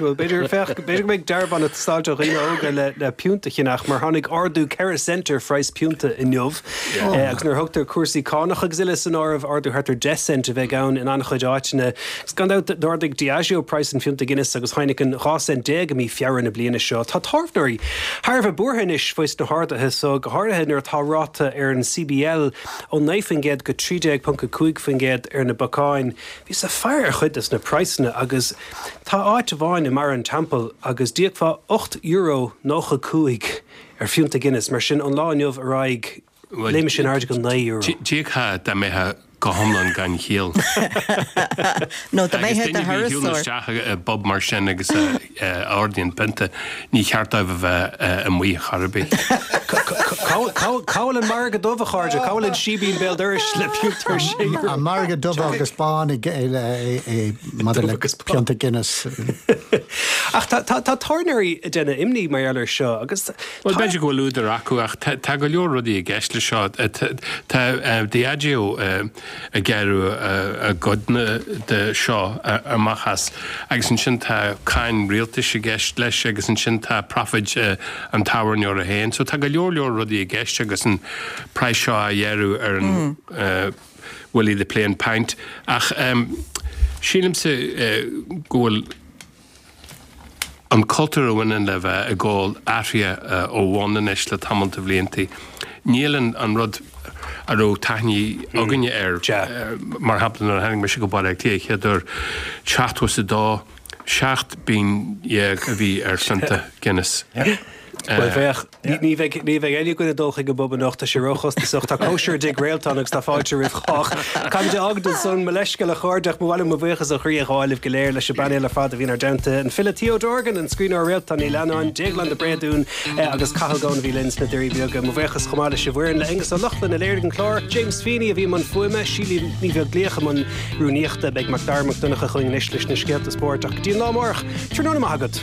Bhuel, b'fhéidir, féach, b'fhéidir go mbeidh dearbhán ag teastáilt ó dhaoine óga le, le piúnta a cheannach, mar tháinig ardú 4 cent ar phraghas piúnta inniu. Agus nuair a thugtar cúrsaí cánach agus uile san áireamh, ardú thart ar 10 cent a bheidh ann in an-chuid áiteanna. Agus gan dabht, d'ardaigh Diageo praghas an phionta Guinness agus Heineken 12 cent i mí Feabhra na bliana seo. Tá tábhairneoirí thar a bheith buartha anois faoi sna harduithe so, go háirithe nuair atá ráta ar an CBL ó 9% go 13.5% ar na bacáin. Bhíos ag faire ar chuid des na praghsanna agus tá áit amháin i mBarra an Teampaill agus d'íocfá €8.95 ar phionta Guinness, mar sin ón lá inniu ar aghaidh léimfidh sin in airde go €9. D'íocfá dá mbeifeá go hiomlán gan chiall. Nó dá mbeifeá i do Agus duine a shiúlann thurasóir. isteach i bpub mar sin agus a ordaíonn pionta, ní cheart dóibh a bheith amuigh chor ar bith. Cá bhfuil an margadh dubh, a chairde? Cá bhfuil an síbín béal dorais le piúnt ar sé euro? An margadh dubh agus bán maidir le pionta Guinness. Ach tá tábhairneoirí ag déanamh imní mar gheall air seo agus tá. Bhuel, b'fhéidir go bhfuil údar acu ach tá go leor rudaí i gceist leis seo. Tá Diageo ag gearradh a gcodanna de seo amach as agus ansin tá cáin rialtais i gceist leis agus ansin tá profit an tábhairneora féin. So tá go leor leor rudaí i gceist agus an praghas seo á ghearradh ar an Willie the Plain Pint. Ach sílimse go bhfuil an cultúr a bhaineann le bheith ag ól athraithe ó bhonn anois le tamall de bhlianta. Níl an rud a raibh taithí againne air, mar shampla nuair a tháinig mise go Baile Átha Cliath chéad uair, 72, 17 bpingin a bhí ar phionta Guinness. Bhuel, féach, ní bheidh, ní bheidh éinne againn ag dul chuig an bpub anocht, tá sé róchostasach. Tá cóisir i dTigh Réaltán agus tá fáilte roimh chách. Caithfimid a fhágaint ansan, mo leithscéal a chairde ach ba mhaith liom mo bhuíochas ó chroí a ghabháil libh go léir, leis an bpainéal ar fad a bhí inár dteannta, an file Theo Dorgan, an scríbhneoir Réaltán Ní Leannáin, Déaglán de Bréadún agus Cathal Goan a bhí linn sna Doirí Beaga. Mo bhuíochas chomh maith leis an bhfoireann, le Aonghus Ó Lochlainn a léirigh an clár, James Feeney a bhí i mbun fuaime, Síle Ní Bheaglaoich i mbun rúnaíochta. Beidh Macdara Mac Donncha chugainn anois leis na scéalta spóirt ach go dtí an lá amárach, tráthnóna maith agat.